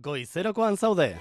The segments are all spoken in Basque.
Goizerokoan zaude.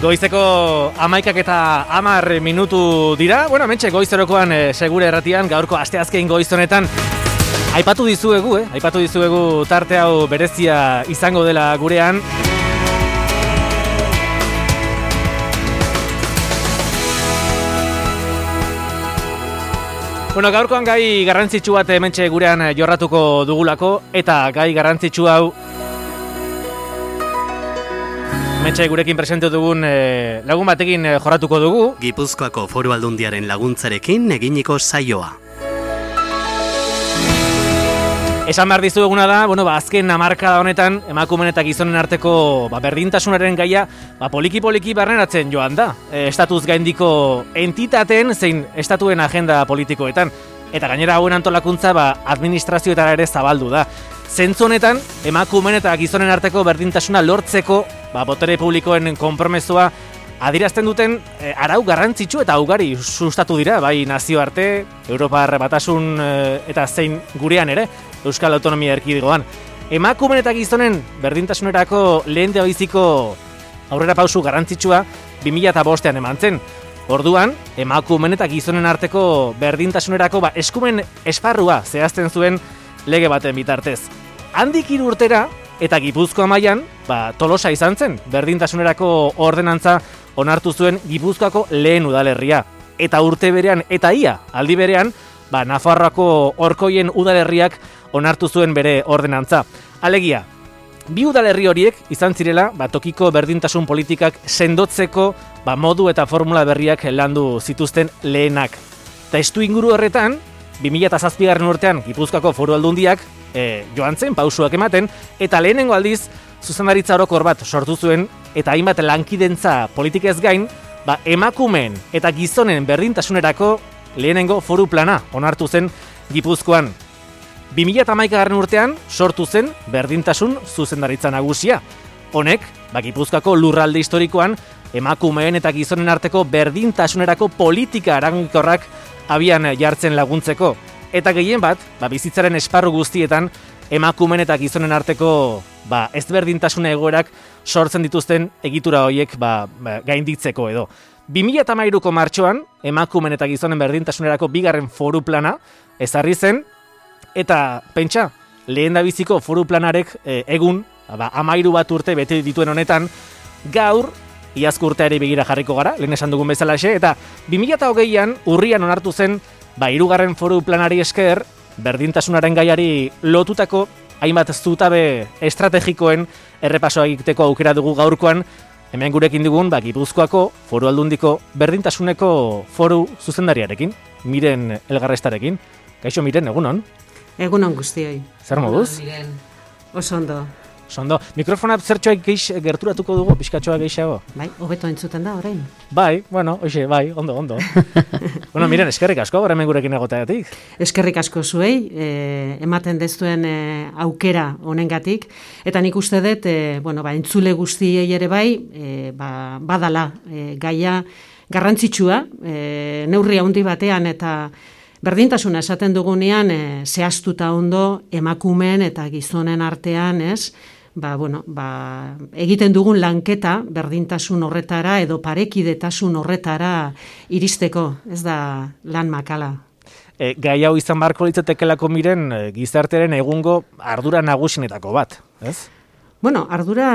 Goizeko 11 eta 10 minutu dira. Bueno, hementxe goizerokoan segure erratian, gaurko asteazken goiz honetan aipatu dizuegu tarte hau berezia izango dela gurean. Bueno, gaurkoan gai garrantzitsu bat hementxe gurean jorratuko dugulako, eta gai garrantzitsu hau hementxe gurekin presente dugun lagun batekin jorratuko dugu. Gipuzkoako Foru Aldundiaren laguntzarekin eginiko saioa. Esan behar dizueguna da, azken hamarkada honetan emakumeen eta gizonen arteko berdintasunaren gaia poliki-poliki barneratzen joan da. Estatuz gaindiko entitateen zein estatuen agenda politikoetan. Eta gainera hauen antolakuntza administrazioetara ere zabaldu da. Zentzu honetan, emakumeen eta gizonen arteko berdintasuna lortzeko botere publikoen konpromezua adierazten duten arau garrantzitsu eta ugari sustatu dira, bai nazioarte, Europar Batasun eta zein gurean ere, Euskal Autonomia Erkidegoan. Emakumeen eta gizonen berdintasunerako lehen biziko aurrera pausu garrantzitsua 2005an eman zen. Orduan, emakumeen eta gizonen arteko berdintasunerako eskumen esparrua zehazten zuen lege baten bitartez. Handik 3 urtera eta Gipuzkoa mailan, Tolosa izan zen, berdintasunerako ordenantza onartu zuen Gipuzkoako lehen udalerria. Eta urte berean eta aldi berean, Nafarroako Orkoien udalerriak onartu zuen bere ordenantza. Alegia, bi udalerri horiek izan zirela tokiko berdintasun politikak sendotzeko modu eta formula berriak landu zituzten lehenak. Testu inguru horretan, 2007 urtean Gipuzkoako Foru Aldundiak joan zen pausuak ematen, eta lehenengo aldiz zuzendaritza orokor bat sortu zuen, eta hainbat lankidentza politikez gain, emakumeen eta gizonen berdintasunerako lehenengo foru plana onartu zen Gipuzkoan. 2011 urtean sortu zen berdintasun zuzendaritza nagusia. Honek, Gipuzkoako lurralde historikoan, emakumeen eta gizonen arteko berdintasunerako politika eraginkorrak abian jartzen laguntzeko. Eta gehien bat, bizitzaren esparru guztietan, emakumeen eta gizonen arteko ezberdintasune egoerak sortzen dituzten egitura horiek gainditzeko edo. 2013ko martxoan, emakumeen eta gizonen berdintasunerako 2. foru plana ezarri zen, eta pentsa, lehendabiziko foru planarek egun, 13 bat urte bete dituen honetan, gaur, iazko urteari begira jarriko gara, lehen esan dugun bezalaxe, eta 2020an urrian onartu zen 3. foru planari esker, berdintasunaren gaiari lotutako hainbat zutabe estrategikoen errepasoa egiteko aukera dugu gaurkoan, hemen gurekin dugun Gipuzkoako Foru Aldundiko berdintasuneko foru zuzendariarekin, Miren Elgarrestarekin. Kaixo Miren, egunon? Egunon guztioi. Zer moduz? Oso ondo. Sondo, mikrofona zertxoak gerturatuko dugu, pixkatxoa gehiago? Bai, hobeto entzuten da orain. Bai, bueno, ondo. Bueno, miren, eskerrik asko, hemen gurekin egoteagatik. Eskerrik asko zuei, ematen dezuen aukera honengatik, eta nik uste dut, entzule guztiei ere bai, badala gaia garrantzitsua, neurri handi batean eta berdintasuna esaten dugunean, zehaztuta ondo emakumeen eta gizonen artean, ez? Egiten dugun lanketa berdintasun horretara edo parekidetasun horretara iristeko, ez da lan makala. Gai hau izan beharko litzatekelako miren gizartearen egungo ardura nagusinetako bat, ez? Bueno, ardura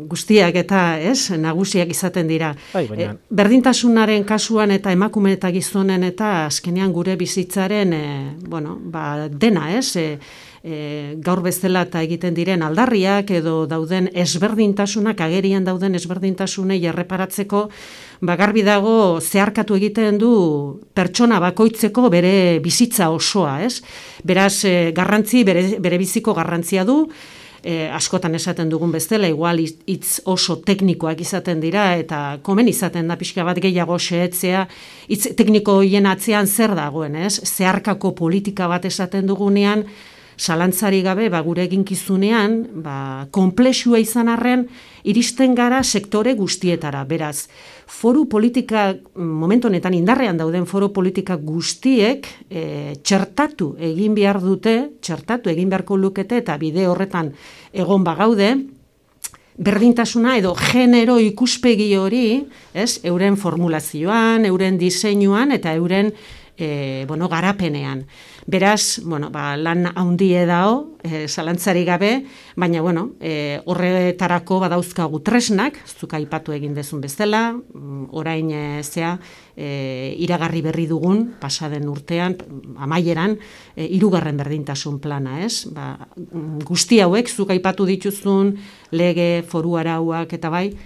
guztiak eta, ez, nagusiak izaten dira. Berdintasunaren kasuan eta emakume eta gizonen eta azkenean gure bizitzaren, dena, ez? Gaur bezala eta egiten diren aldarriak edo dauden ezberdintasunak, agerian dauden ezberdintasunei erreparatzeko, garbi dago zeharkatu egiten du pertsona bakoitzeko bere bizitza osoa, ez? Beraz, bere biziko garrantzia du, askotan esaten dugun bezala, igual hitz oso teknikoak izaten dira, eta komen izaten da pixka bat gehiago xehetzea, hitz tekniko hien atzean zer dagoen, ez? Zeharkako politika bat esaten dugunean, zalantzari gabe, gure eginkizunean, konplexua izan arren, iristen gara sektore guztietara. Beraz, foru politika, momentu honetan indarrean dauden foru politika guztiek, txertatu egin beharko lukete, eta bide horretan egon bagaude, berdintasuna edo genero ikuspegi hori, euren formulazioan, euren diseinuan, eta euren garapenean. Beraz, lan haundie dao, zalantzari gabe, baina, horretarako badauzkagu tresnak, zuk aipatu egin dezun bezala, orain iragarri berri dugun, pasaden urtean, amaieran, 3. berdintasun plana, ez? Guzti hauek, zuk aipatu dituzun, lege, foru arauak, eta bai,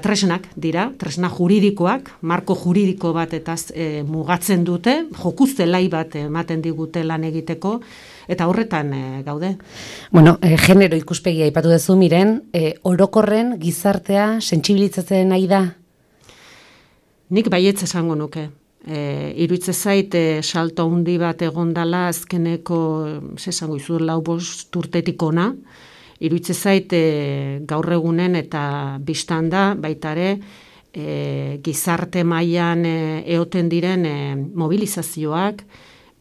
tresnak dira, tresna juridikoak, marko juridiko bat eta mugatzen dute, jokuztelai bat ematen digute lan egiteko, eta horretan gaude. Genero ikuspegia aipatu duzu miren, orokorren gizartea sentsibilizatzen nahi da? Nik baietz esango nuke. Iruitze zait, salto handi bat egondala azkeneko, esango izu, 4-5 urtetik ona, iruitze zait gaur egunen eta biztanda baitare gizarte mailan eoten diren mobilizazioak,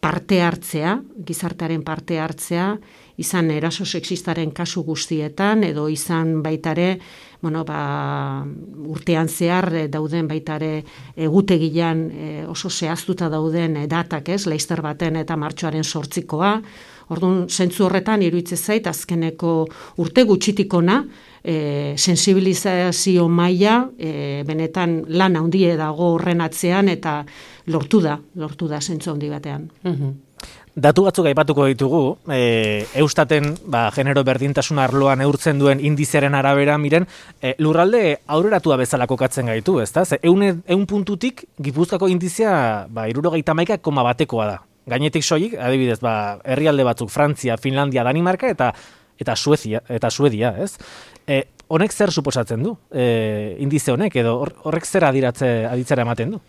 parte hartzea, gizartearen parte hartzea, izan eraso sexistaren kasu guztietan, edo izan baitare, urtean zehar dauden baitare egutegian oso zehaztuta dauden datak, Laster baten eta martxoaren 8koa, orduan, zentzu horretan, iruditzen zait, azkeneko urte gutxitikona, sensibilizazio maila, benetan lan handie dago horren atzean, eta lortu da zentzu handi batean. Datu batzuk aipatuko ditugu, Eustaten genero berdintasun arloan neurtzen duen indizearen arabera, miren, lurralde aurreratua bezala kokatzen gaitu, ezta? 100 puntutik, Gipuzkoako indizea 71,1 da. Gainetik soilik, adibidez, herrialde batzuk, Frantzia, Finlandia, Danimarka eta Suedia, ez? Honek zer suposatzen du? Indize honek, edo horrek zer aditzera ematen du?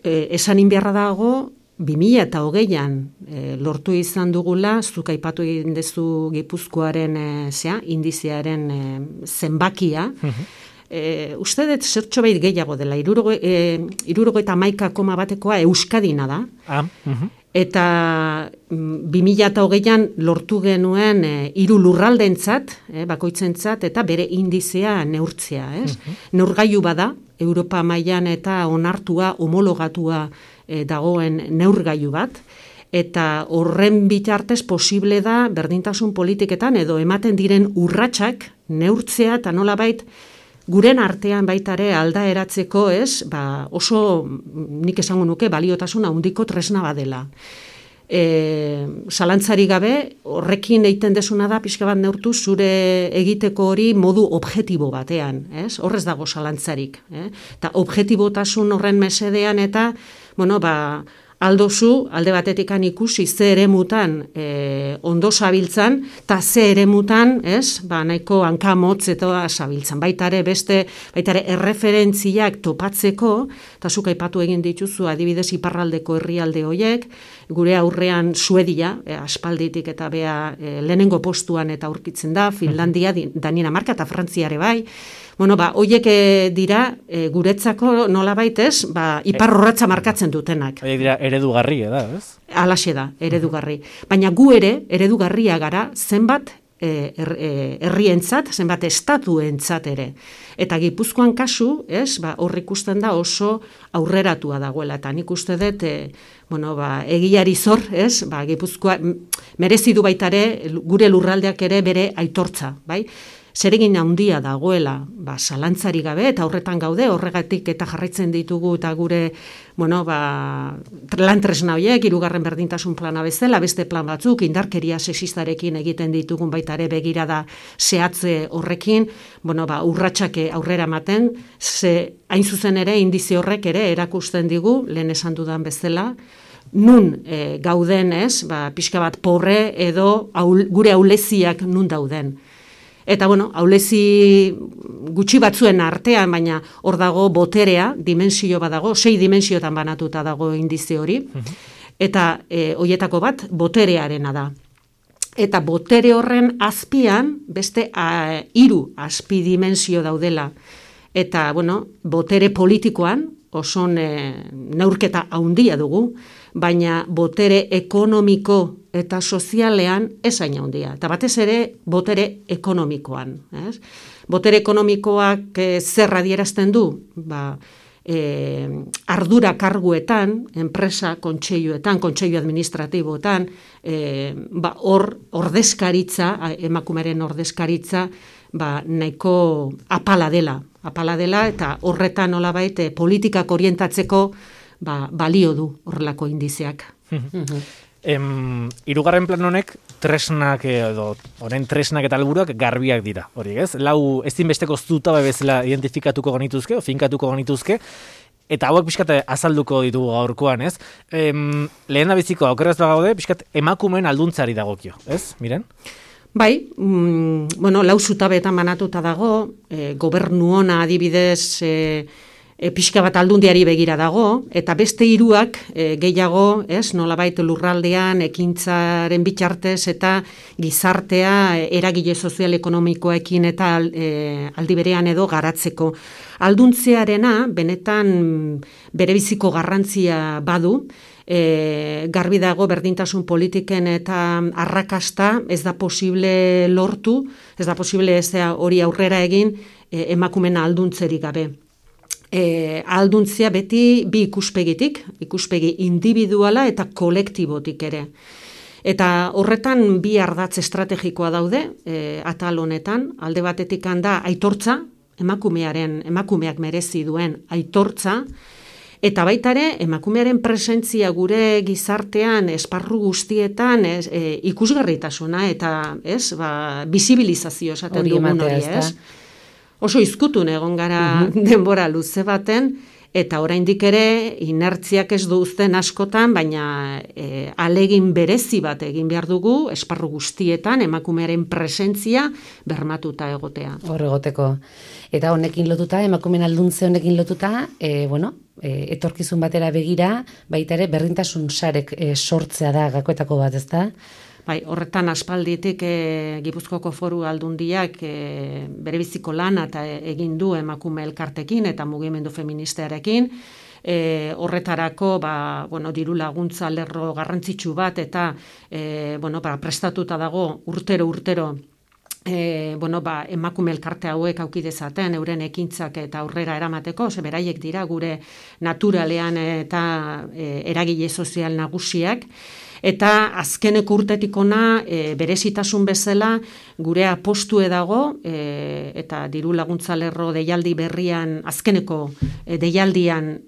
Esan inbiarra dago, 2020an lortu izan dugula, zuk aipatu egin dezu Gipuzkoaren indizearen zenbakia, uste dut zertxo behit gehiago dela, 71,1 Euskadina da, eta 2020an lortu genuen 3 lurraldentzat, bakoitzentzat, eta bere indizea neurtzea. Neurgailu bada, Europa mailan eta onartua, homologatua dagoen neurgailu bat, eta horren bitartez posible da berdintasun politiketan edo ematen diren urratsak neurtzea eta nolabait guren artean baitare aldaeratzeko, oso nik esango nuke baliotasun handiko tresna badela. Zalantzari gabe, horrekin egiten desuna da, pixka bat neurtu, zure egiteko hori modu objektibo batean, horrez dago zalantzarik. Eta objektibotasun horren mesedean eta, aldozu, alde batetikan ikusi ze eremutan ondo zabiltzan, eta ze eremutan, nahiko hankamotz eta zabiltzan. Baitare erreferentziak topatzeko, eta zuk aipatu egin dituzu adibidez iparraldeko herrialde hoiek, gure aurrean Suedia, aspalditik eta bea lehenengo postuan eta aurkitzen da, Finlandia, Danimarka eta Frantziare bai. Hoiek dira guretzako nolabait iparrorratza markatzen dutenak. Horiek dira eredugarri, ez? Halaxe da, eredugarri. Baina gu ere, eredugarria gara zenbat herrientzat, zenbat estatuentzat ere. Eta Gipuzkoan kasu, hor ikusten da oso aurreratua dagoela. Eta nik uste dut, egiari zor, Gipuzkoa merezi du baitare, gure lurraldeak ere bere aitortza, bai? Zeregin handia dagoela, zalantzari gabe, eta horretan gaude, horregatik eta jarraitzen ditugu, eta gure, lan tresna horiek, 3. berdintasun plana bezala, beste plan batzuk, indarkeria sexistarekin egiten ditugun baitare begirada zehatze horrekin, urratsak aurrera ematen, ze hain zuzen ere, indize horrek ere, erakusten digu, lehen esan dudan bezala, nun gauden pixka bat porre edo gure auleziak nun dauden. Eta, aulezi gutxi batzuen artean, baina hor dago boterea, dimensio bat dago, 6 dimensiotan banatuta dago indize hori, eta hoietako bat boterearena da. Eta botere horren azpian, beste 3 azpi dimensio daudela. Eta, botere politikoan, oso neurketa handia dugu, baina botere ekonomiko eta sozialean ezain handia. Eta batez ere, botere ekonomikoan. Botere ekonomikoak zer adierazten du? Ardura karguetan, enpresa kontseiluetan, kontseilu administratiboetan, hor ordezkaritza, emakumeren ordezkaritza, nahiko apala dela, eta horretan nolabait politikak orientatzeko balio du horrelako indizeak. 3. plan honek tresnak edo horren tresnak eta helburuak garbiak dira, hori ez? 4 ezinbesteko zutabe bezala identifikatuko genituzke, finkatuko genituzke, eta hauek pixkat azalduko ditugu gaurkoan, ez? Lehen da biziko aukeraz bagaude, pixkat emakumeen alduntzari dagokio, ez? Miren? Bai, 4 zutabeetan banatuta dago, gobernu ona adibidez pixka bat aldundiari begira dago, eta beste 3 gehiago, nolabait lurraldean, ekintzaren bitartez eta gizartea eragile sozial-ekonomikoekin eta aldi berean edo garatzeko. Alduntzearena benetan berebiziko garrantzia badu, garbi dago berdintasun politiken eta arrakasta ez da posible lortu, ez da posible hori aurrera egin emakumeen alduntzerik gabe. Alduntzia beti 2 ikuspegitik, ikuspegi individuala eta kolektibotik ere. Eta horretan 2 ardatz estrategikoa daude, atal honetan, alde batetik da aitortza, emakumeak merezi duen aitortza, eta baitare emakumearen presentzia gure gizartean, esparru guztietan, ikusgarritasuna eta bizibilizazio esaten dugun hori, ez? Oso izkutun egon gara denbora luze baten, eta oraindik ere inertziak ez du uzten askotan, baina alegin berezi bat egin behar dugu, esparru guztietan, emakumearen presentzia bermatuta egotea. Hor egoteko. Eta honekin lotuta, emakumeen alduntze honekin lotuta, etorkizun batera begira, baita ere berdintasun sarek sortzea da gakoetako bat, ezta? Bai, horretan aspalditik Gipuzkoako Foru Aldundiak berebiziko lana eta egin du emakume elkartekin eta mugimendu feministarekin. Horretarako diru laguntza lerro garrantzitsu bat eta prestatuta dago urtero emakume elkarte hauek auki dezaten euren ekintzak eta aurrera eramateko, ze beraiek dira gure naturalean eta eragile sozial nagusiak. Eta azkeneko urtetik ona berezitasun bezala gure apostue dago eta diru laguntza lerro deialdi berrian, azkeneko deialdian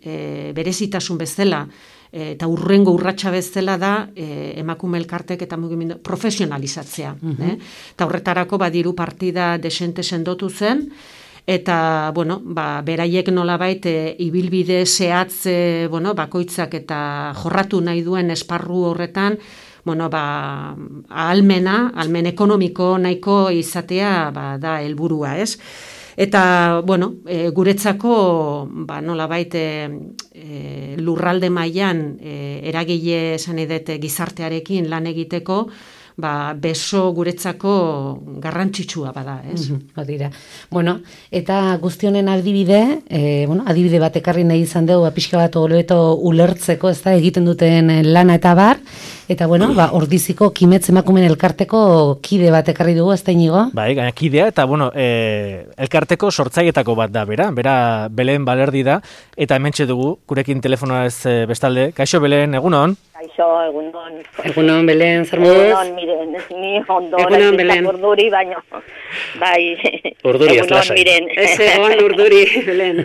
berezitasun bezala eta urrengo urratsa bezala da emakume elkartek eta mugimendu profesionalizatzea. Eta horretarako diru partida desente sendotu zen, eta, bueno, beraiek nolabait ibilbide zehatz, bakoitzak eta jorratu nahi duen esparru horretan, ahalmen ekonomiko nahiko izatea da helburua, ez? Eta, guretzako, nolabait lurralde mailan eragile esan edete gizartearekin lan egiteko, beso guretzako garrantzitsua bada, ez? Dira. Bueno, eta guztionen adibide, adibide bat ekarri nahi izan dugu, pixka bat hobeto ulertzeko, ez da, egiten duten lana eta bar, eta, Ordiziko Kimetz emakumeen elkarteko kide bat ekarri dugu, ez da Inigo? Bai, gaina kidea, eta, elkarteko sortzailetako bat da, bera Belen Balerdi da, eta hementxe dugu, gurekin telefonoa ez bestalde. Kaixo, Belen, egunon? Kaixo, egunon. Egunon, Belen, zer moduz? Egunon, miren, ni ondoren bizak urduri, baino, bai, urduri ez lasai. Miren. Ez egon urduri, Belen.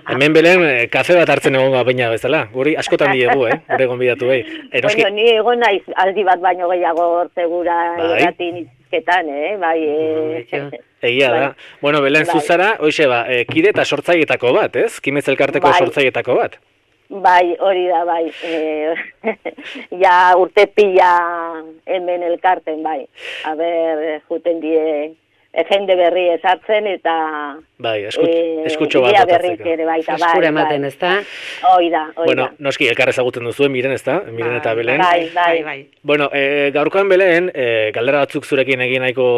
Hemen, Belen, kafe bat hartzen egon baina bezala, guri askotan diegu, gure gonbidatu behi. Bueno, ni egon naiz aldi bat baino gehiago segura irratin izketan, bai. Egia da. Bueno, Belen, zuzara, hoxe kide eta sortzailetako bat, ez? Kimetz elkarteko sortzailetako bat. Bai, hori da, bai. Ja urte pila hemen elkarten, bai. Juten die jende berri esartzen eta... Bai, eskutxo bat botatzeko. Eskura ematen, ez da? Oida. Bueno, noski, elkar ezaguten duzuen, Miren, ez da? Miren eta Belen. Bai. Bueno, gaurkoan Belen, galdera batzuk zurekin egin nahiko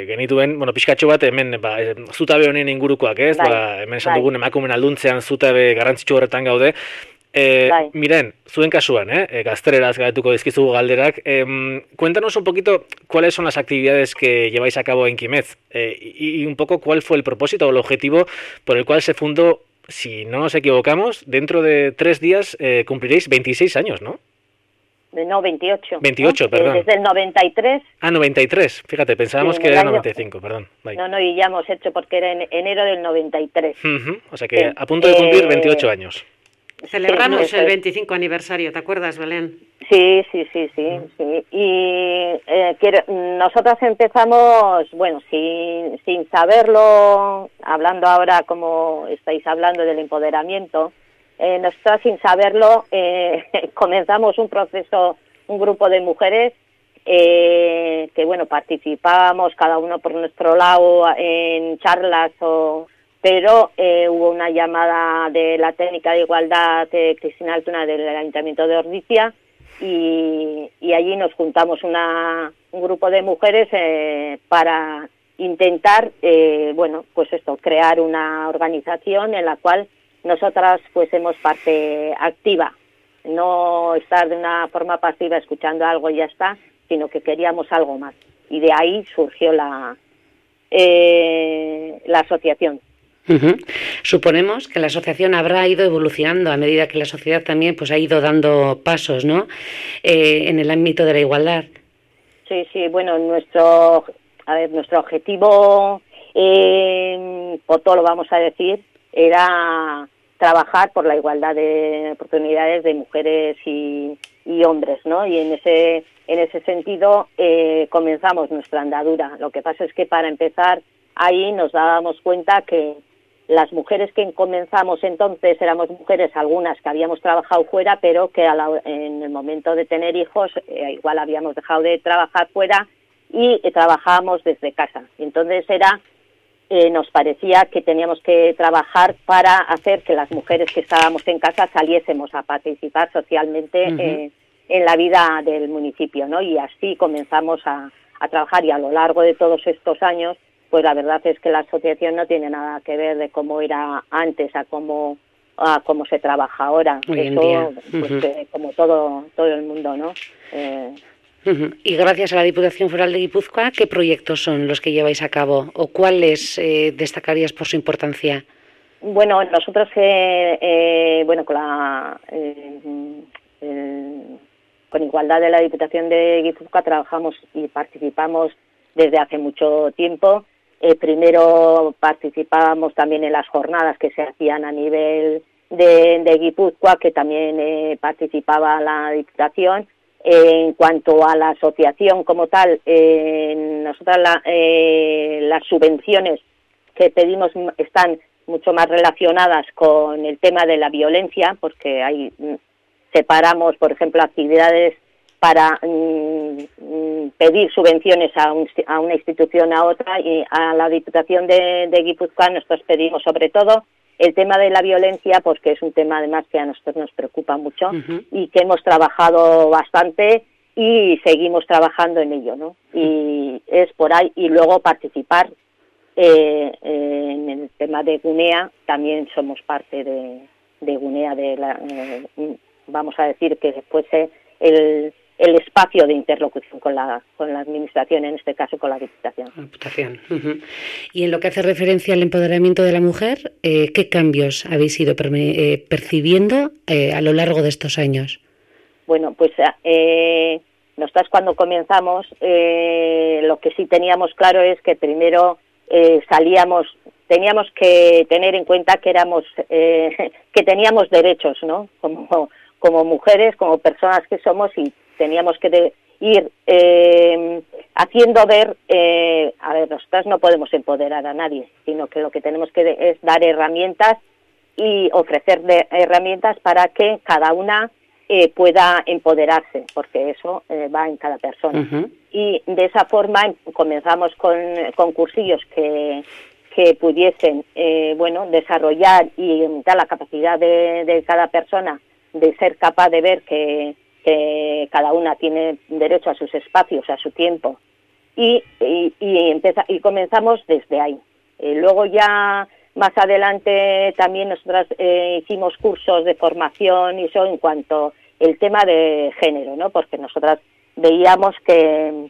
genituen, pixkatxo bat, hemen, zutabe honen ingurukoak, ez? Hemen esan dugun emakumen alduntzean zutabe garrantzitsu horretan gaude. Miren, zuen kasuan, gaztereraz gaituko dizkizugu galderak, cuéntanos un poquito cuáles son las actividades que lleváis a cabo en Kimetz y un poco cuál fue el propósito o el objetivo por el cual se fundó, si no nos equivocamos, dentro de 3 días cumpliréis 26 años, ¿no? No, 28. 28, perdón. Desde el 93. Ah, 93. Fíjate, pensábamos que era el 95, perdón. Bye. No, y ya hemos hecho porque era en enero del 93. O sea que a punto de cumplir 28 años. Celebramos el 25 aniversario, ¿te acuerdas, Belén? Sí. Y nosotras empezamos, sin saberlo, hablando ahora como estáis hablando del empoderamiento, nosotras sin saberlo comenzamos un proceso, un grupo de mujeres que participábamos cada uno por nuestro lado en charlas pero hubo una llamada de la técnica de igualdad de Cristina Altuna del Ayuntamiento de Ordizia y allí nos juntamos un grupo de mujeres para intentar, crear una organización en la cual nosotras fuésemos parte activa, no estar de una forma pasiva escuchando algo y ya está, sino que queríamos algo más. Y de ahí surgió la asociación. Suponemos que la asociación habrá ido evolucionando a medida que la sociedad también ha ido dando pasos, ¿no? En el ámbito de la igualdad. Sí, nuestro objetivo, por todo lo vamos a decir, era trabajar por la igualdad de oportunidades de mujeres y hombres, ¿no? Y en ese sentido comenzamos nuestra andadura. Lo que pasa es que para empezar ahí nos dábamos cuenta que las mujeres que comenzamos entonces éramos mujeres, algunas que habíamos trabajado fuera, pero que en el momento de tener hijos igual habíamos dejado de trabajar fuera y trabajábamos desde casa. Entonces nos parecía que teníamos que trabajar para hacer que las mujeres que estábamos en casa saliésemos a participar socialmente en la vida del municipio, ¿no? Y así comenzamos a trabajar y a lo largo de todos estos años pues la verdad es que la asociación no tiene nada que ver de cómo era antes a cómo se trabaja ahora. Eso, como todo el mundo, ¿no? Y gracias a la Diputación Foral de Guipúzcoa, ¿qué proyectos son los que lleváis a cabo o cuáles destacarías por su importancia? Bueno, nosotros con Igualdad de la Diputación de Guipúzcoa trabajamos y participamos desde hace mucho tiempo. Primero participábamos también en las jornadas que se hacían a nivel de Guipúzcoa, que también participaba la Diputación. En cuanto a la asociación como tal, nosotras las subvenciones que pedimos están mucho más relacionadas con el tema de la violencia, porque hay separamos, por ejemplo, actividades para pedir subvenciones a una institución a otra, y a la Diputación de Guipúzcoa nosotros pedimos sobre todo el tema de la violencia, porque es un tema además que a nosotros nos preocupa mucho y que hemos trabajado bastante y seguimos trabajando en ello, ¿no? Y es por ahí, y luego participar en el tema de Gunea. También somos parte de Gunea, vamos a decir que fuese el espacio de interlocución con la administración, en este caso con la Diputación. Y en lo que hace referencia al empoderamiento de la mujer, ¿qué cambios habéis ido percibiendo a lo largo de estos años? Bueno, pues nosotras cuando comenzamos, lo que sí teníamos claro es que primero teníamos que tener en cuenta que que teníamos derechos, ¿no? Como mujeres, como personas que somos, y teníamos que ir haciendo ver, nosotras no podemos empoderar a nadie, sino que lo que tenemos que es dar herramientas y ofrecer herramientas para que cada una pueda empoderarse, porque eso va en cada persona. Y de esa forma comenzamos con cursillos que pudiesen desarrollar y aumentar la capacidad de cada persona de ser capaz de ver que cada una tiene derecho a sus espacios, a su tiempo, y comenzamos desde ahí. Luego ya más adelante también nosotras hicimos cursos de formación y eso en cuanto el tema de género, ¿no? Porque nosotras veíamos que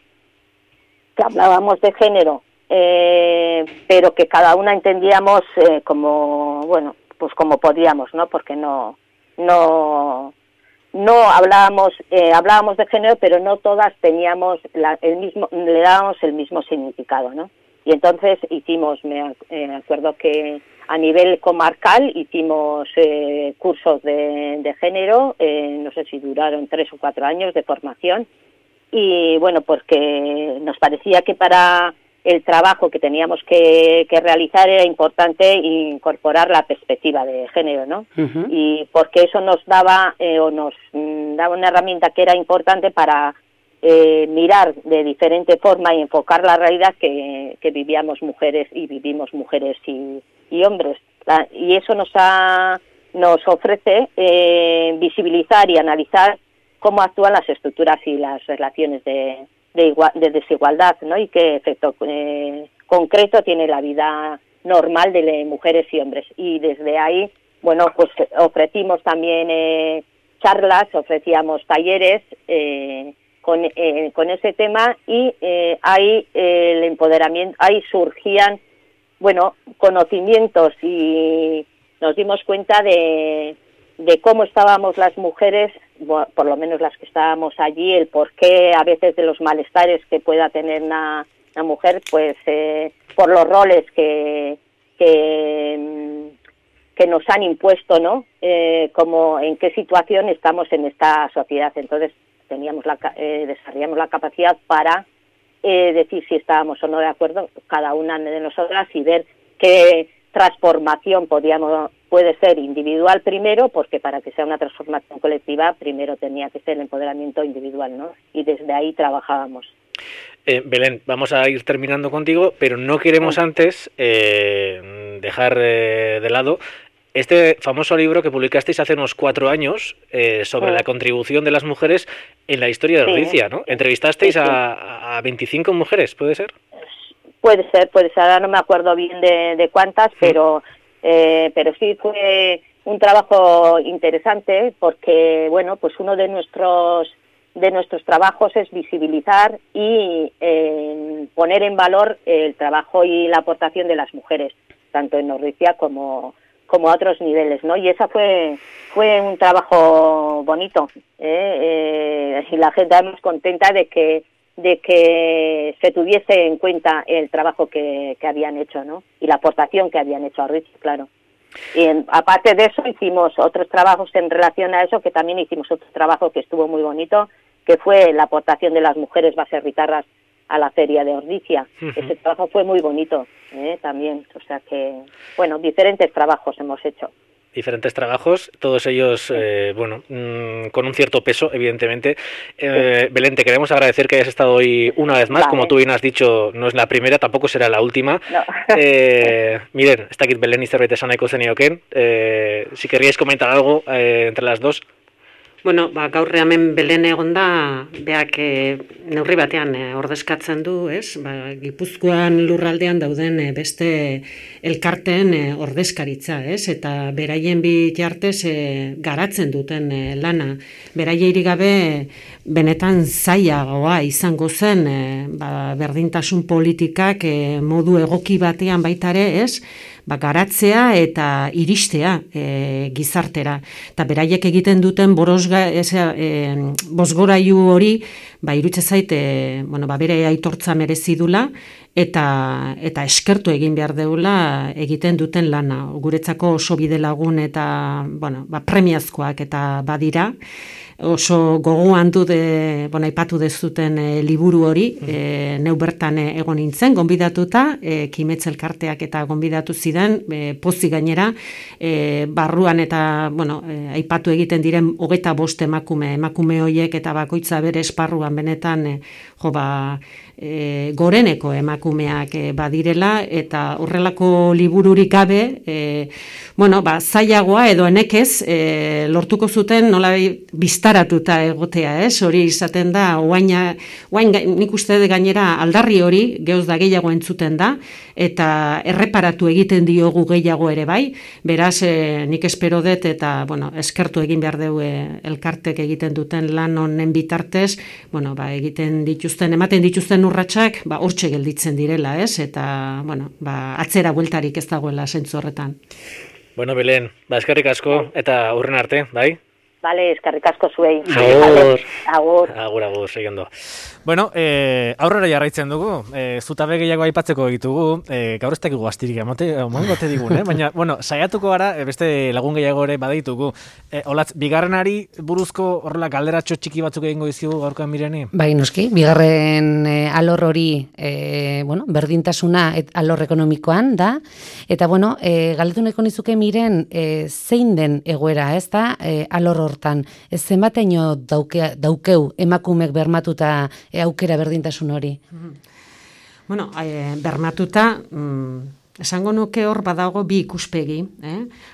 hablábamos de género, pero que cada una entendíamos como podíamos, ¿no? Porque no hablábamos de género, pero no todas teníamos le dábamos el mismo significado, ¿no? Y entonces me acuerdo que a nivel comarcal hicimos cursos de género, no sé si duraron 3 o 4 años de formación, y bueno, porque nos parecía que para el trabajo que teníamos que realizar era importante incorporar la perspectiva de género, ¿no? Y porque eso nos daba una herramienta que era importante para mirar de diferente forma y enfocar la realidad que vivíamos mujeres y vivimos mujeres y hombres. Y eso nos ofrece visibilizar y analizar cómo actúan las estructuras y las relaciones de desigualdad, ¿no? Y qué efecto concreto tiene la vida normal de mujeres y hombres. Y desde ahí, bueno, pues ofrecimos también charlas, ofrecíamos talleres con ese tema, y ahí el empoderamiento, ahí surgían, bueno, conocimientos, y nos dimos cuenta de cómo estábamos las mujeres, por lo menos las que estábamos allí, el porqué a veces de los malestares que pueda tener una mujer, pues por los roles que nos han impuesto, ¿no? Como en qué situación estamos en esta sociedad. Entonces desarrollamos la capacidad para decir si estábamos o no de acuerdo cada una de nosotras, y ver qué transformación puede ser individual primero, porque para que sea una transformación colectiva primero tenía que ser el empoderamiento individual, ¿no? Y desde ahí trabajábamos. Belén, vamos a ir terminando contigo, pero no queremos antes dejar de lado este famoso libro que publicasteis hace unos 4 añes sobre la contribución de las mujeres en la historia de Ordicia, ¿no? Entrevistasteis a 25 mujeres, ¿puede ser? Puede ser, ahora no me acuerdo bien de cuántas, pero sí fue un trabajo interesante, porque, bueno, pues uno de nuestros trabajos es visibilizar y poner en valor el trabajo y la aportación de las mujeres, tanto en Ordicia como a otros niveles, ¿no? Y esa fue un trabajo bonito, y la gente además contenta de que se tuviese en cuenta el trabajo que habían hecho, ¿no? Y la aportación que habían hecho a Ordicia, claro. Y aparte de eso hicimos otros trabajos en relación a eso, que también hicimos otro trabajo que estuvo muy bonito, que fue la aportación de las mujeres baserritarras a la feria de Ordizia. Ese trabajo fue muy bonito también, o sea que, bueno, diferentes trabajos hemos hecho. Diferentes trabajos, todos ellos, con un cierto peso, evidentemente. Belén, te queremos agradecer que hayas estado hoy una vez más. Vale. Como tú bien has dicho, no es la primera, tampoco será la última. No. Miren, está aquí Belén y zerbait esaneko zenioken. Si querríais comentar algo entre las dos. Bueno, gaur hemen Belen egonda, beak neurri batean ordezkatzen du, ez? Gipuzkoan lurraldean dauden beste elkarteen ordezkaritza, ez? Eta beraien bitartez garatzen duten lana. Beraiei gabe benetan zailagoa izango zen, berdintasun politikak modu egoki batean baita ere, ez? Garatzea eta iristea gizartera. Eta beraiek egiten duten bozgorailu hori, irutze zait, bere aitortza merezi dula, eta eskertu egin behar deula egiten duten lana. Guretzako oso bide lagun eta premiazkoak eta badira. Oso gogoan dut, aipatu dezuten liburu hori, neu bertan egon nintzen, gonbidatuta, Kimetz elkarteak eta gonbidatu zidan, pozik gainera, barruan eta, aipatu egiten diren 25 emakume horiek eta bakoitza bere esparruan benetan, goreneko emakumeak badirela, eta horrelako libururik gabe, zailagoa edo enekez, lortuko zuten nola biztaratuta egotea, hori izaten da, oain nik uste gainera aldarri hori, gehoz da gehiago entzuten da, eta erreparatu egiten diogu gehiago ere bai, beraz nik espero dut eta eskertu egin behar dugu elkartek egiten duten lan honen bitartez, ematen dituzten urratsak hortxe gelditzen direla, eta atzera bueltarik ez dagoela zentzu horretan. Bueno, Belen, eskerrik asko eta hurren arte, bai? Vale, eskerrik asko zuei. Agur, segindo. Bueno, aurrera jarraitzen dugu, zutabe gehiago aipatzeko ditugu, gaur ez dakigu astirik emongote digun, baina, saiatuko gara, beste lagun gehiago ere baditugu. Olatz, bigarrenari buruzko horrela galderatxo txiki batzuk egingo dizugu gaurkoan Mireni? Bai, noski, bigarren alor hori, berdintasuna alor ekonomikoan da, eta, galdetu nahiko nizuke Miren, zein den egoera, ez da, alor hortan, zenbateino daukeu emakumek bermatuta aukera berdintasun hori? Bermatuta, esango nuke hor badago bi ikuspegi,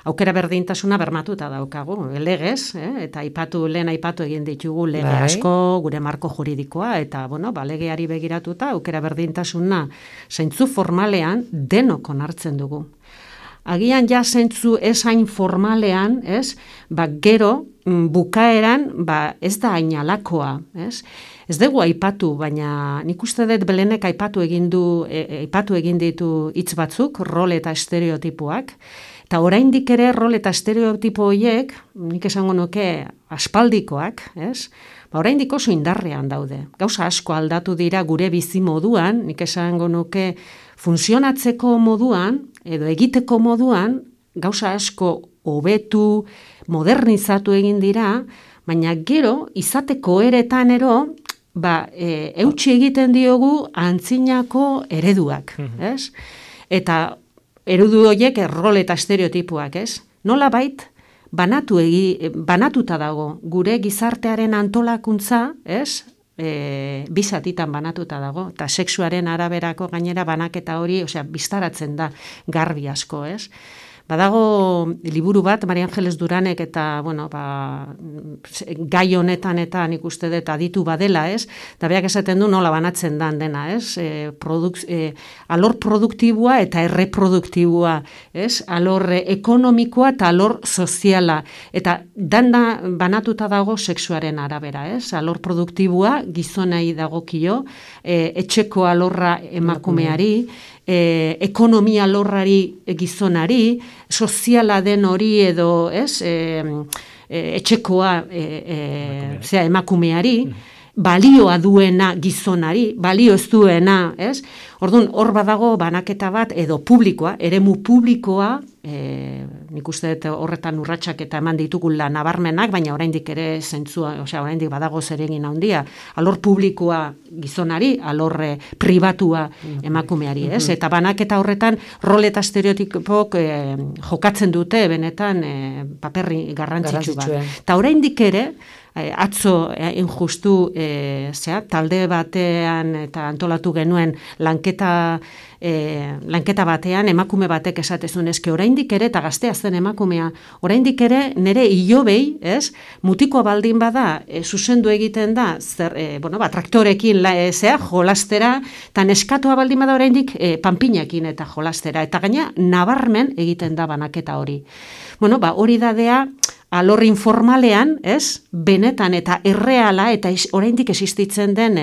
aukera berdintasuna bermatuta daukagu, legez, eta lehen aipatu egin ditugu lege asko, gure marko juridikoa, eta legeari begiratuta aukera berdintasuna zeintzu formalean denok onartzen dugu. Agian ja zentzu esain formalean, gero bukaeran ez da ainalakoa, ez dugu aipatu, baina nik uste dut Belenek aipatu egin ditu hitz batzuk, rol eta estereotipoak, eta oraindik ere rol eta estereotipo horiek, nik esango nuke aspaldikoak, oraindik oso indarrean daude. Gauza asko aldatu dira gure bizi moduan, nik esango nuke funtzionatzeko moduan, edo egiteko moduan, gauza asko hobetu, modernizatu egin dira, baina gero, izateko eretan eutsi egiten diogu antzinako ereduak, ez? Eta eredu horiek rol eta estereotipoak, ez? Nola bait, banatuta dago, gure gizartearen antolakuntza, ez? Bizatitan banatuta dago, eta sexuaren araberako gainera banaketa hori, biztaratzen da garbi asko, ez? Badago liburu bat, Maria Angeles Duranek eta, gai honetan eta nik uste dut aditu badela, ez? Da beak esaten du nola banatzen dan dena, ez? Alor produktibua eta erreproduktibua, ez? Alor ekonomikoa eta alor soziala. Eta danda banatuta dago sexuaren arabera, ez? Alor produktibua gizonei dagokio, etxeko alorra emakumeari, ekonomia alorrari gizonari, soziala den hori edo, etxekoa emakumeari, balioa duena gizonari, balio ez duena, Orduan, hor badago banaketa bat edo publikoa, eremu publikoa, nik uste horretan urratsak eta eman ditugula nabarmenak, baina oraindik ere zentzua, oraindik badago zeregin handia, alor publikoa gizonari, alor pribatua emakumeari, ez? Eta banaketa horretan rol eta estereotipok jokatzen dute benetan paperri garrantzitsu bat. Eta oraindik ere, atzo injustu talde batean eta antolatu genuen lanketa batean emakume batek esatezun eske oraindik ere eta gaztea zen emakumea oraindik ere nere ilobei, ez? Mutiko baldin bada zuzendu egiten da traktorekin jolastera eta neskatua baldin bada oraindik panpinekin eta jolastera eta gaina nabarmen egiten da banaketa hori. Hori dadea alor informalean, ez? Benetan eta erreala eta oraindik existitzen den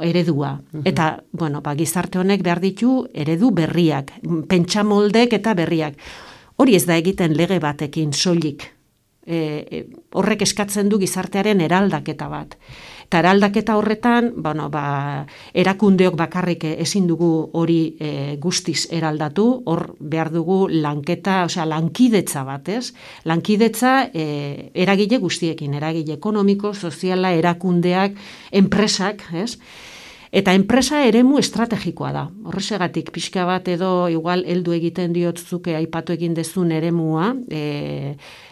eredua. Eta, gizarte honek behar ditu eredu berriak, pentsamoldek eta berriak. Hori ez da egiten lege batekin soilik. Horrek eskatzen du gizartearen eraldaketa bat. Eta eraldaketa horretan, erakundeok bakarrik ezin dugu hori guztiz eraldatu, hor behar dugu lankidetza bat, ez? Lankidetza eragile guztiekin, eragile ekonomiko, soziala, erakundeak, enpresak, ez? Eta enpresa eremu estrategikoa da. Horregatik pixka bat edo igual heldu egiten diotzuke aipatu egin dezun eremua,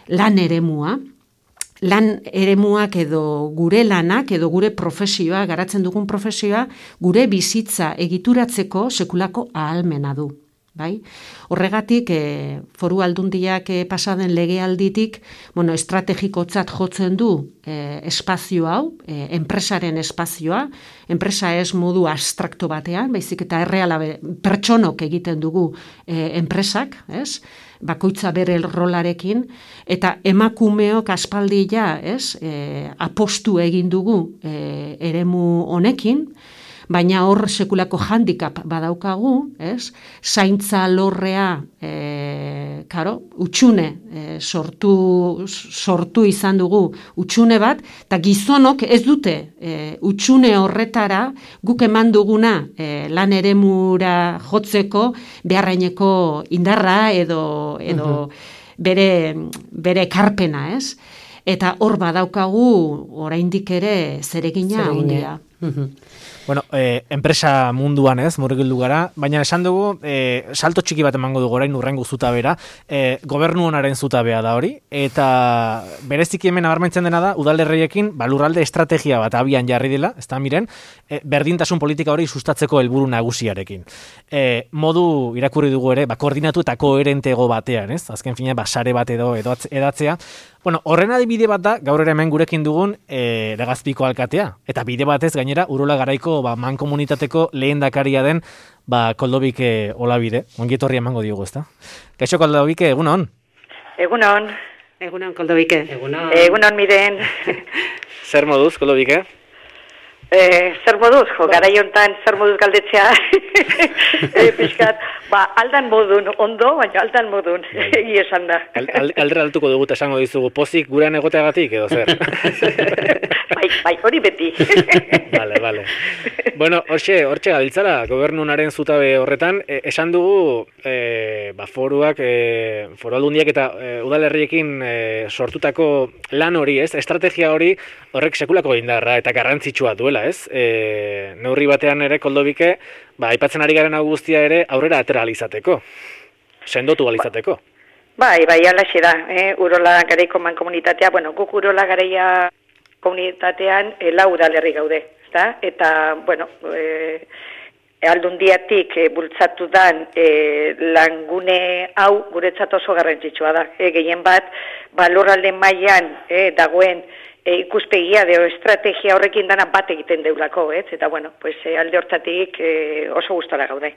lan eremua. Lan eremuak edo gure lanak edo gure profesioa, garatzen dugun profesioa, gure bizitza egituratzeko sekulako ahalmena du. Bai? Horregatik, foru aldundiak pasaden legealditik, estrategikotzat jotzen du espazio hau, enpresaren espazioa, enpresa ez modu abstrakto batean, baizik eta erreala pertsonok egiten dugu enpresak, ez? Bakoitza bere rolarekin, eta emakumeok aspaldi apostu egin dugu eremu honekin, baina hor sekulako handicap badaukagu, ez? Zaintza lorrea, utxune sortu izan dugu utxune bat, eta gizonok ez dute utxune horretara guk eman duguna lan eremura jotzeko beharraineko indarra edo bere ekarpena, ez? Eta hor badaukagu oraindik ere zeregina handia. Enpresa munduan ez, murgildu gara, baina esan dugu, salto txiki bat emango dugu orain urrengo zutabera, gobernu honaren zutabea da hori, eta bereziki hemen nabarmentzen dena da, udalerriekin lurralde estrategia bat abian jarri dela, ez da miren, berdintasun politika hori sustatzeko helburu nagusiarekin. Modu irakurri dugu ere, koordinatu eta koherentego batean, ez? Azken fina, sare bat edo edatzea. Horren adibide bat da, gaur ere hemen gurekin dugun Legazpiko alkatea, eta bide batez gainera Urola Garaiko mankomunitateko lehendakaria den Koldobike Olabide. Ongietorri emango diogu, ezta? Kaixo Koldobike, egunon? Egunon. Egunon, Koldobike. Egunon, Miren. Zer moduz, Koldobike? Zer moduz, garai hontan zer moduz galdetzea, pixkat, aldan modun, ondo, baina aldan modun, egia esan da. Aldera altuko dugu eta esango dizugu, pozik gurean egoteagatik edo zer? Bai, hori beti. Vale. Hortxe gabiltzara, gobernunaren zutabe horretan, esan dugu, foruak, foru aldundiak eta udalerriekin sortutako lan hori, ez? Estrategia hori horrek sekulako indarra eta garrantzitsua duela, ez? Neurri batean ere, Koldobike, aipatzen ari garen hau guztia ere aurrera atera alizateko, sendotu alizateko. Bai, alaxe da, Urola Garaiko mankomunitatea, guk Urola Garaia komunitatean lau udalerri gaude, ezta? Eta, aldundiatik bultzatu dan langune hau guretzat oso garrantzitsua da. Gehien bat, lurralde mailan dagoen ikuspegia edo estrategia horrekin dana bat egiten deulako, ez? Eta, alde hortatik oso gustora gaude.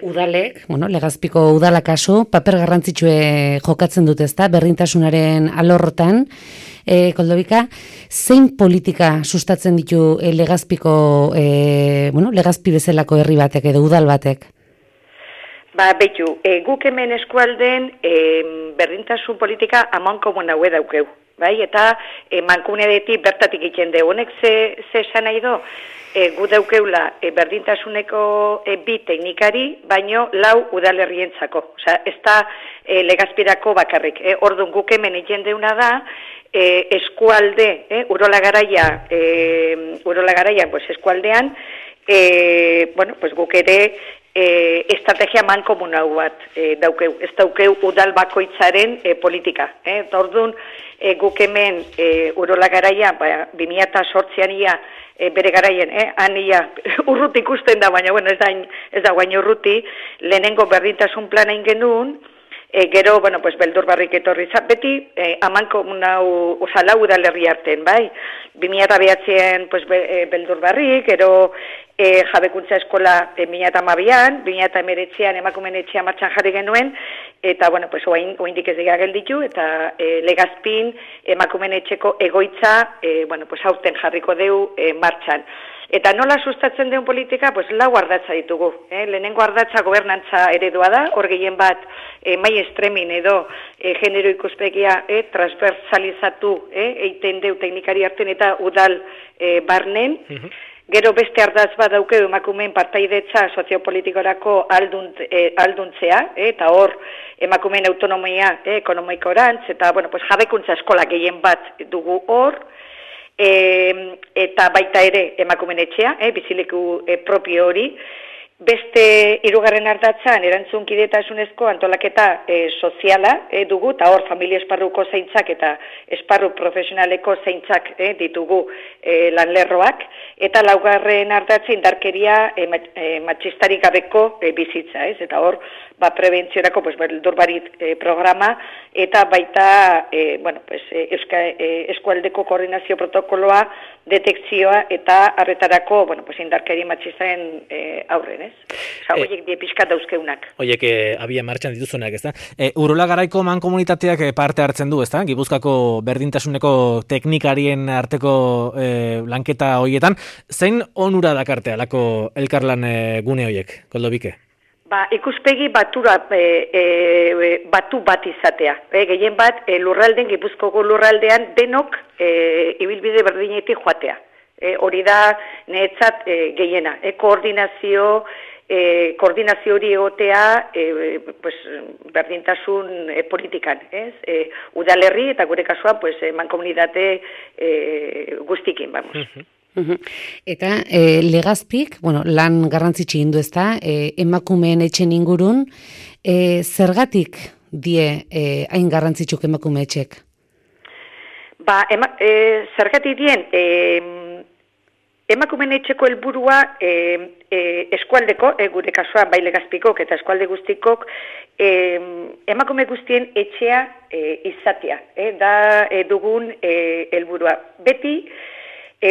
Udalek, Legazpiko udala kasu, paper garrantzitsue jokatzen dut, ezta, berdintasunaren alorrotan. Koldobika, zein politika sustatzen ditu Legazpiko, Legazpi bezalako herri batek edo udal batek? Behitu, guk hemen eskualden berdintasun politika amankomun haue daukeu. bai, eta mankomunetik bertatik egiten du. Honek ze esan nahi do? Gu daukeula berdintasuneko bi teknikari, baino 4 udalerrientzako. Osea, ez da Legazpirako bakarrik. Orduan guk hemen egiten deuna da, eskualde, Urola Garaia, pues eskualdean, bueno, pues guk ere estrategia mankomunal bat daukeu. Ez daukeu udal bakoitzaren politika. Orduan, guk hemen Urola Garaia, 2008an ia, bere garaien, ania urruti ikusten da, baina bueno, ez da guain urruti, lehenengo berdintasun plana ingenuen, gero, bueno, pues beldur barrik etorri beti, amankomunau, oza, 4 udalerri arten, bai? 2009an, pues, beldur barrik, gero jabekuntza eskola 2012an, 2019an emakumeen etxea martxan jarri genuen, eta, bueno, pues, oaindik ez dira gelditu, eta Legazpin emakumeen etxeko egoitza, bueno, pues, aurten jarriko deu martxan. Eta nola sustatzen deun politika, pues 4 ardatza ditugu. Lehenengo ardatza gobernantza eredua da, hor gehien bat mai estremin edo genero ikuspegia transversalizatu eiten deu teknikari arten eta udal barnen. Gero beste ardatz bat daukeu emakumeen partaidetza soziopolitikorako alduntzea, eta hor emakumeen autonomia ekonomikorantz, eta bueno, pues, jabekuntza eskola gehien bat dugu hor, eta baita ere emakumeen etxea, bizileku propio hori. Beste 3. ardatzan erantzunkidetasunezko antolaketa soziala dugu, eta hor familia esparruko zaintzak eta esparru profesionaleko zaintzak ditugu lanlerroak, eta 4. ardatza indarkeria matxistarik gabeko bizitza, eta hor prebentziorako beldur barit programa, eta baita bueno, pues, eskualdeko koordinazio protokoloa, detekzioa eta arretarako bueno, pues, indarkeria matxistaren aurren, Oiek die pixka dauzkeunak. Oiek abia martxan dituzunak, ezta? Urola Garaiko mankomunitateak parte hartzen du, ezta? Gipuzkoako berdintasuneko teknikarien arteko lanketa hoietan. Zein onura dakarte alako elkarlan gune hoiek, Koldobike? Ikuspegi batu bat izatea. Gehien bat, Gipuzkoako lurraldean denok ibilbide berdinetik joatea. Hori da niretzat gehiena. Koordinazio hori egotea pues, berdintasun politikan. Udalerri eta gure kasuan pues, mankomunitate guztikin, vamos. Eta Legazpik, bueno, lan garrantzitsi indu ezta, emakumeen etxen ingurun, zergatik die hain garrantzitsuk emakume etxek? Zergatik dien, emakumeen etxeko helburua eskualdeko, gure kasuan bai Legazpikok eta eskualde guztikok, emakume guztien etxea izatea, da dugun helburua. Beti,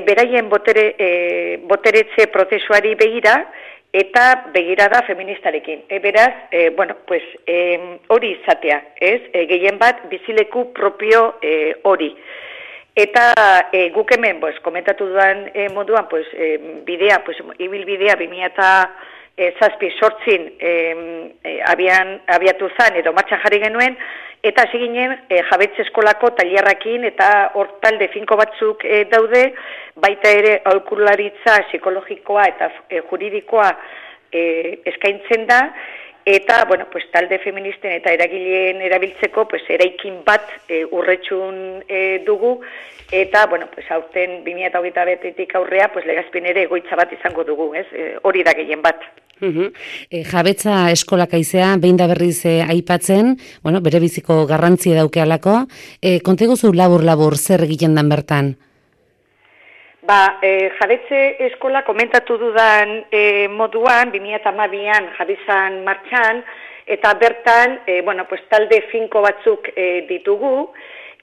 beraien boteretze prozesuari begira eta begirada feministarekin. Beraz, bueno, pues, hori izatea, gehien bat bizileku propio hori. Eta guk hemen, pues, komentatu dudan moduan, pues, bidea, pues, ibilbidea 2007-2008 abiatu zan edo martxan jarri genuen, eta hasi ginen jabetze eskolako tailerrakin eta hor talde finko batzuk daude, baita ere aholkularitza psikologikoa eta juridikoa eskaintzen da, eta bueno, pues, talde feministen eta eragileen erabiltzeko pues, eraikin bat urretxun dugu, eta bueno, pues, aurten 2021-tik aurrea pues, Legazpin ere egoitza bat izango dugu, hori da gehien bat. Jabetza eskolak aizea, behin da berriz aipatzen, bueno, bere biziko garrantzia daukealako. Konteguzu labur zer egiten dan bertan? Jabetze eskola komentatu dudan moduan, 2012an jabizan martxan, eta bertan, bueno, pues, talde finko batzuk ditugu,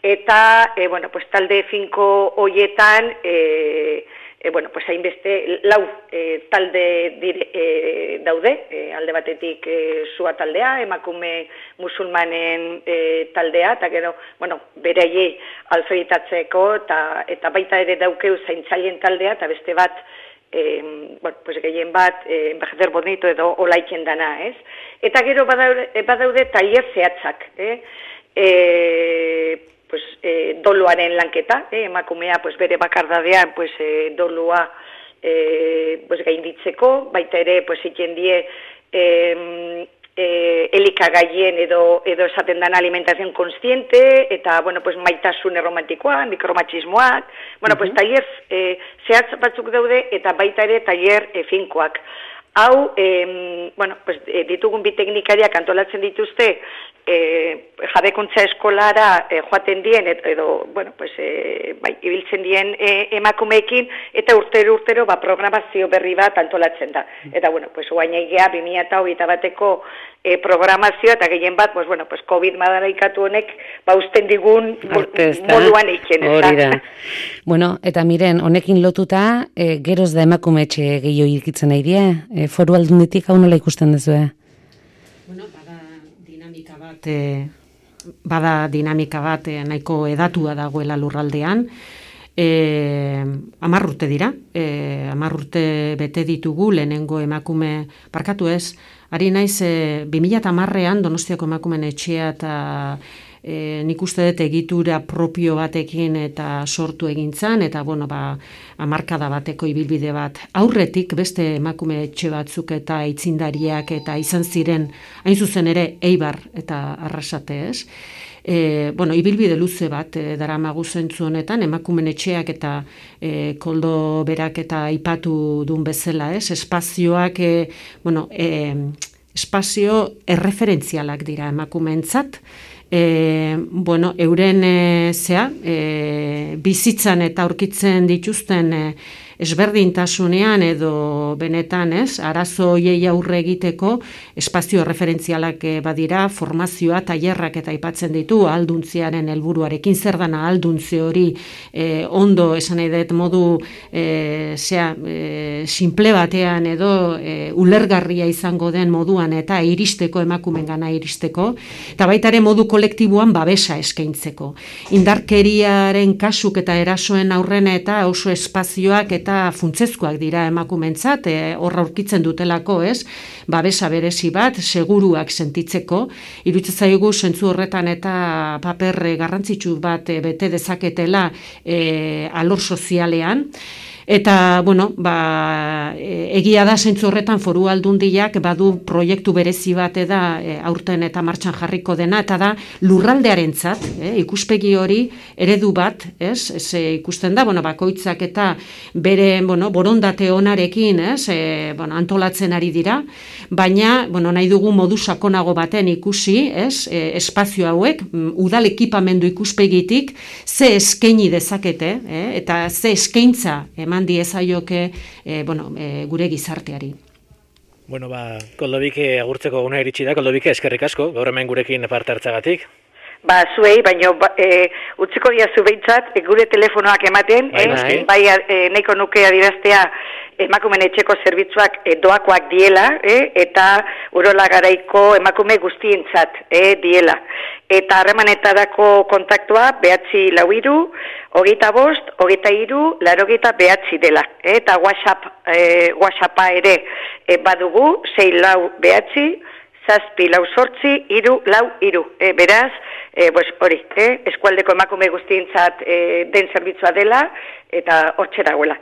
eta, bueno, pues, talde finko hoietan, bueno, pues, hainbeste 4 talde daude, alde batetik sua taldea, emakume musulmanen taldea, eta gero, bueno, beraiei alfabetatzeko, eta baita ere daukeu zaintzaileen taldea, eta beste bat, bueno, pues, gehien bat, envejecer bonito edo olaiken dana, Eta gero badaude tailer zehatzak, pues, doluaren lanketa, emakumea pues, bere bakardadean pues, dolua pues, gainditzeko, baita ere pues, egin die elikagaien edo esaten dan alimentación consciente, eta, bueno, pues, maitasun erromantikoa, mikromachismoak, bueno, pues, taller zehatz batzuk daude, eta baita ere taller finkoak. Hau, bueno, pues, ditugun bi teknikariak antolatzen dituzte, jabekuntza eskolara joaten dien, edo, bueno, pues, bai, ibiltzen dien emakumeekin, eta urtero programazio berri bat antolatzen da. Eta, bueno, pues, guain egea 2021ko programazioa, eta gehien bat, pues, bueno, pues, COVID madaraikatu honek, usten digun moduan eiken. Hori da. Bueno, eta miren, honekin lotuta, geroz da emakume etxe gehiago ikitzen nahi die, Foru Aldunditik hau nola ikusten duzue? Bueno, bada dinamika bat nahiko edatua dagoela lurraldean. 10 urte dira, 10 urte bete ditugu lehenengo emakume, parkatu ez, ari naiz 2010ean Donostiako emakumeen etxea eta nik uste dut egitura propio batekin eta sortu egintzan, eta bueno, hamarkada bateko ibilbide bat. Aurretik beste emakume etxe batzuk eta aitzindariak eta izan ziren, hain zuzen ere, Eibar eta Arrasate, ez? Bueno, ibilbide luze bat daramagu zentzu honetan, emakumen etxeak eta Koldo berak eta aipatu duen bezala, ez? Espazioak, bueno, espazio erreferentzialak dira emakumeentzat, bueno, euren bizitzan eta aurkitzen dituzten ezberdintasunean edo benetan, ez, arazo hoiei aurre egiteko espazio referentzialak badira, formazioa, tailerrak eta aipatzen ditu ahalduntziaren helburuarekin, zer dana ahalduntze hori ondo esan nahi dut modu simple batean edo ulergarria izango den moduan eta iristeko emakumengana iristeko, eta baita ere modu kolektiboan babesa eskaintzeko. Indarkeriaren kasuk eta erasoen aurrena eta oso espazioak eta funtsezkoak dira emakumentzat, horra aurkitzen dutelako, ez? Babesa berezi bat, seguruak sentitzeko, iruditzen zaigu zentzu horretan eta paper garrantzitsu bat bete dezaketela alor sozialean. Eta, bueno, egia da zentzu horretan Foru Aldundiak badu proiektu berezi bat aurten eta martxan jarriko dena, eta da lurraldearentzat, ikuspegi hori eredu bat, ez? Ikusten da, bueno, bakoitzak eta bere, bueno, borondate onarekin, ez? Bueno, antolatzen ari dira, baina, bueno, nahi dugu modu sakonago baten ikusi, ez? Espazio hauek, udal ekipamendu ikuspegitik, ze eskaini dezakete, eta ze eskaintza diezaioke gure gizarteari. Bueno, Koldobike agurtzeko guna iritsi da. Koldobike, eskerrik asko, gaur hemen gurekin parte hartzagatik. Zuei, baina utziko diazu behintzat, gure telefonoak ematen, bai nahiko nuke adieraztea emakumen etxeko zerbitzuak doakoak diela, eta Urola Garaiko emakume guztientzat diela. Eta harremanetarako kontaktua 943 25 23 89 dela. Eta WhatsAppa ere badugu 649 748 343. Beraz, pues hori, eskualdeko emakume guztientzat den zerbitzua dela, eta hortxe dagoela.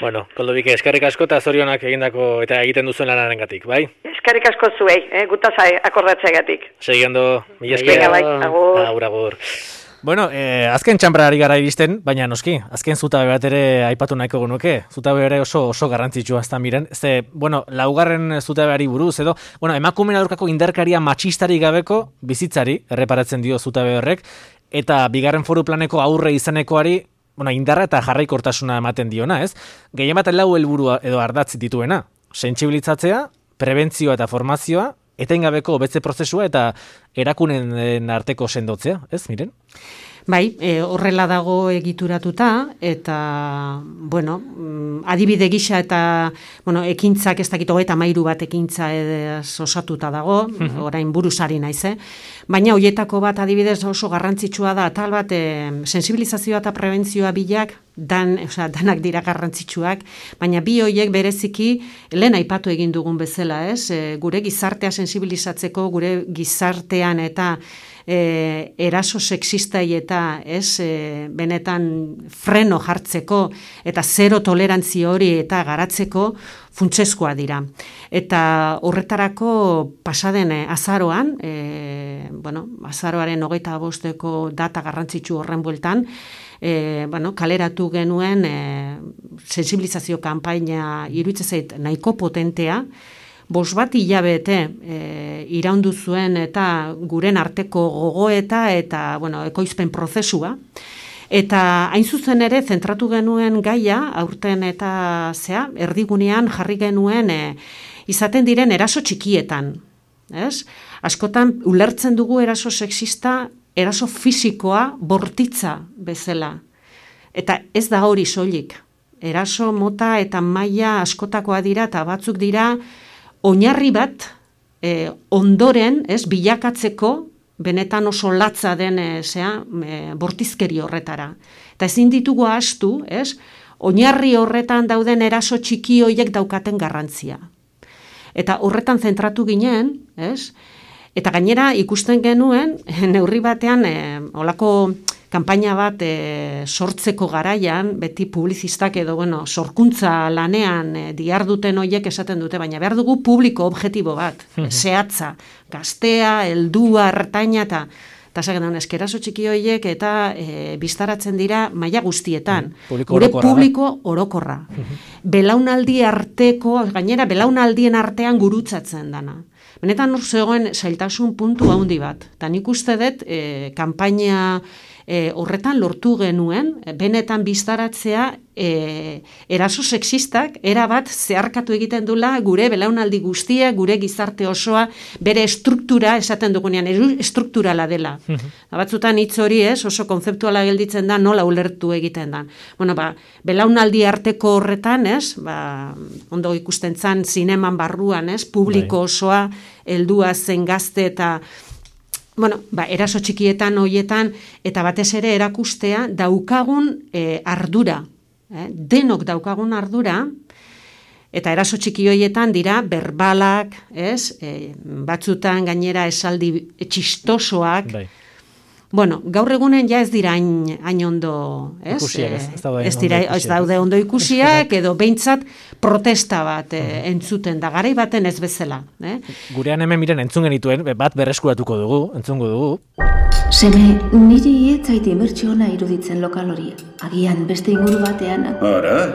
Bueno, Koldobike, eskerrik asko eta zorionak egindako eta egiten duzuen lanarengatik, bai? Eskerrik asko zuei, gutaz akordatzeagatik. Segiendo, mila esker. Agur. Bueno, azken txanbrari gara iristen, baina noski, azken zutabe bat ere aipatu nahiko genuke. Zutabe ere oso garrantzitsua ez da miren. Bueno, laugarren zutabeari buruz edo, bueno, emakumeen aurkako indarkaria matxistari gabeko bizitzari erreparatzen dio zutabe horrek, eta bigarren foru planeko aurre izanekoari, bueno, indarra eta jarraikortasuna ematen diona, ez? Gehien bat lau helburu edo ardatz dituena. Sentsibilitzatzea, prebentzioa eta formazioa, etengabeko hobetze prozesua eta erakunen arteko sendotzea, ez, miren? Bai, horrela dago egituratuta, eta, bueno, adibide gisa eta, bueno, ekintzak ez dakit 33 bat ekintza osatuta dago, orain buruzari naiz, baina hoietako bat adibidez oso garrantzitsua da, tal bat, sensibilizazioa eta prebentzioa bilak danak dira garrantzitsuak, baina bi horiek bereziki lehen aipatu egin dugun bezala, gure gizartea sensibilizatzeko, gure gizartean eta eraso sexistai eta benetan freno jartzeko eta zero tolerantzia hori eta garatzeko funtsezkoa dira. Eta horretarako pasaden azaroan, azaroaren 25 data garrantzitsu horren bueltan, kaleratu genuen sensibilizazio kanpaina iruditzen zait nahiko potentea, 5 hilabete iraundu zuen eta guren arteko gogoeta eta ekoizpen prozesua. Eta hain zuzen ere zentratu genuen gaia, aurten eta erdigunean jarri genuen izaten diren eraso txikietan. Askotan ulertzen dugu eraso sexista, eraso fisikoa bortitza bezala. Eta ez da hori soilik. Eraso mota eta maila askotakoa dira eta batzuk dira oinarri bat ondoren bilakatzeko benetan oso latza den bortizkeri horretara. Eta ezin ditugu ahaztu, oinarri horretan dauden eraso txiki horiek daukaten garrantzia. Eta horretan zentratu ginen, eta gainera ikusten genuen, neurri batean, olako kanpaina bat sortzeko garaian, beti publizistak edo, sorkuntza lanean diharduten horiek esaten dute, baina behar dugu publiko objektibo bat, zehatza, gaztea, heldua, ertaina, eta zagen eskeraso txiki horiek eta biztaratzen dira maila guztietan. Gure publiko orokorra. Belaunaldi arteko, gainera belaunaldien artean gurutzatzen dana. Benetan hor zegoen zailtasun puntu handi bat. Eta nik uste dut kanpaina horretan lortu genuen, benetan biztaratzea eraso sexistak erabat zeharkatu egiten dula gure belaunaldi guztia, gure gizarte osoa, bere estruktura esaten dugunean, estrukturala dela. Batzutan hitz hori oso konzeptuala gelditzen da, nola ulertu egiten da. Belaunaldi arteko horretan, ondo ikusten zan zineman barruan, publiko osoa, heldua zen gazte eta eraso txikietan hoietan eta batez ere erakustea daukagun ardura. Denok daukagun ardura eta eraso txiki hoietan dira berbalak, batzutan gainera esaldi txistosoak. Gaur egunen ja ez dira hain ondo, ez daude ondo ikusiak, edo behintzat protesta bat entzuten da, garai baten ez bezala. Gurean hemen miren entzun genituen, bat berreskuratuko dugu, entzungo dugu. Seme, niri etzait imertsiona iruditzen lokal hori. Agian beste inguru batean.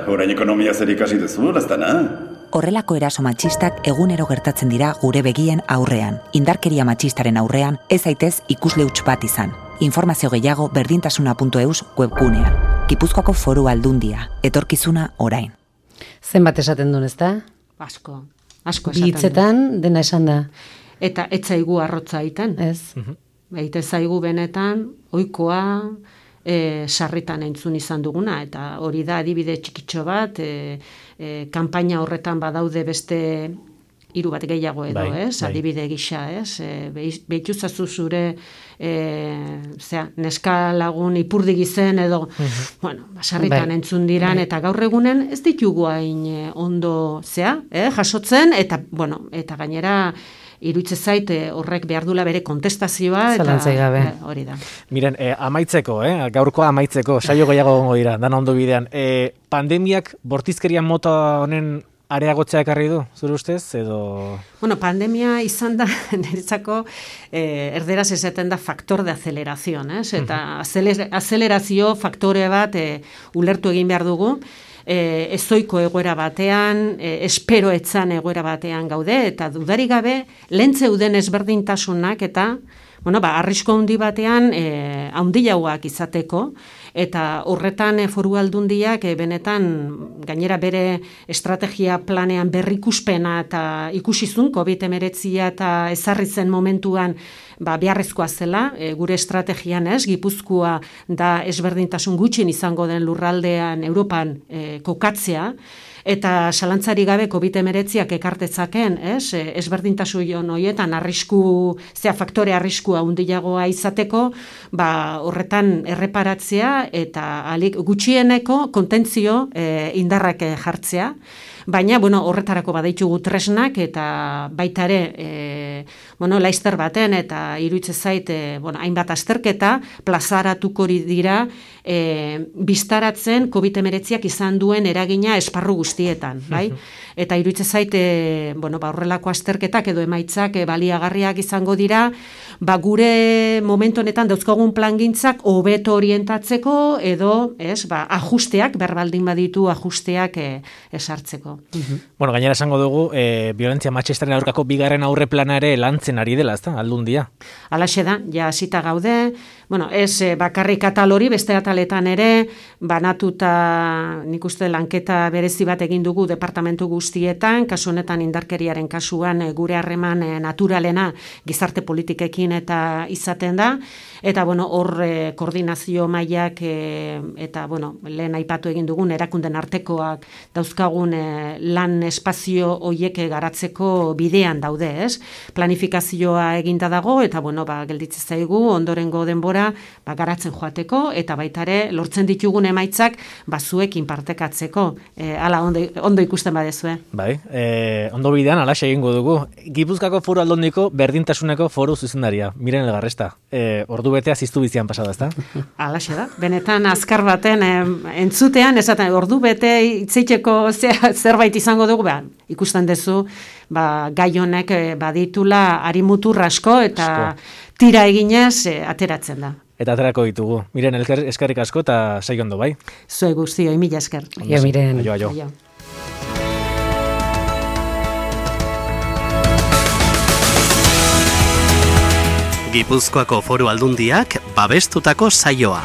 Orain ekonomia zer ikasi duzu, Laztana? Horrelako eraso matxistak egunero gertatzen dira gure begien aurrean. Indarkeria matxistaren aurrean ez zaitez ikusle huts bat izan. Informazio gehiago berdintasuna.eus webgunean. Gipuzkoako Foru Aldundia, etorkizuna orain. Zenbat esaten duen, ezta? Asko esaten duen. Hitzetan dena esan da. Eta ez zaigu arrotza egiten. Ez. Baita zaigu benetan, ohikoa sarritan entzun izan duguna, eta hori da adibide txikitxo bat, kanpaina horretan badaude beste 3 bat gehiago edo, adibide gisa, behituzazu zure neska lagun ipurdi gizen edo, sarritan entzun diran, eta gaur egunen ez ditugu hain ondo jasotzen, eta gainera iruditzen zait horrek behar dula bere kontestazioa eta hori da. Miren, amaitzeko, gaurko amaitzeko, saio gehiago gongo dira, dana ondo bidean. Pandemiak bortizkerian mota honen areagotzea ekarri du, zure ustez, edo? Pandemia izan da, niretzako, erderaz esaten da faktor de aceleración, eta acelerazio faktore bat ulertu egin behar dugu, ezoiko egoera batean, espero etzan egoera batean gaude, eta dudarik gabe, lehentzeuden ezberdintasunak eta, arrisko handi batean, handiagoak izateko, eta horretan Foru Aldundiak benetan gainera bere estrategia planean berrikuspena eta ikusizun COVID-19 eta ezarri zen momentuan beharrezkoa zela, gure estrategian Gipuzkoa da ezberdintasun gutxien izango den lurraldean Europan kokatzea, eta salantzari gabe COVID-19ak ekartetzaken, ezberdintasun horietan faktore arrisku kasua handiagoa izateko, horretan erreparatzea eta alik gutxieneko kontentzio indarrak jartzea. Baina, horretarako badaitugu tresnak eta baita ere, laizter baten eta iruditzen zait, hainbat azterketa plazaratuko dira biztaratzen COVID-19 izan duen eragina esparru guztietan, bai? Eta iruditzen zait, horrelako azterketak edo emaitzak baliagarriak izango dira, gure momentu honetan dauzkagun plangintzak hobeto orientatzeko edo, ajusteak, berbaldin baditu ajusteak esartzeko. Gainera esango dugu, violentzia matxistaren aurkako bigarren aurre plana ere lantzen ari dela, ezta, Aldundia. Alaxe da, ja hasita gaude, ez bakarrik atal hori, beste ataletan ere, banatuta nik uste lanketa berezi bat egin dugu departamentu guztietan, kasu honetan indarkeriaren kasuan gure harreman naturalena gizarte politikekin eta izaten da, eta hor koordinazio mailak eta lehen aipatu egin dugun erakunden artekoak dauzkagun lan espazio hoiek garatzeko bidean daude, ez? Planifikazioa eginda dago eta gelditzen zaigu ondorengo denbora garatzen joateko eta baita ere lortzen ditugun emaitzak zuekin partekatzeko. Hala ondo ikusten badezue. Bai, ondo bidean alaxe egingo dugu. Gipuzkoako Foru Aldundiko berdintasuneko foru zuzendaria, Miren Elgarresta. Ordu betea ziztu bizian pasada, ezta? Alaxe da. Benetan azkar baten entzutean, esaten ordu bete itzeiteko zerbait izango dugu, ikusten duzu, gai honek baditula harimutur asko eta tira eginez ateratzen da. Eta aterako ditugu. Miren, eskerrik asko eta saio ondo, bai? Zue guztioi, mila esker. Aio, Miren. Aio. Gipuzkoako Foru Aldundiak babestutako saioa.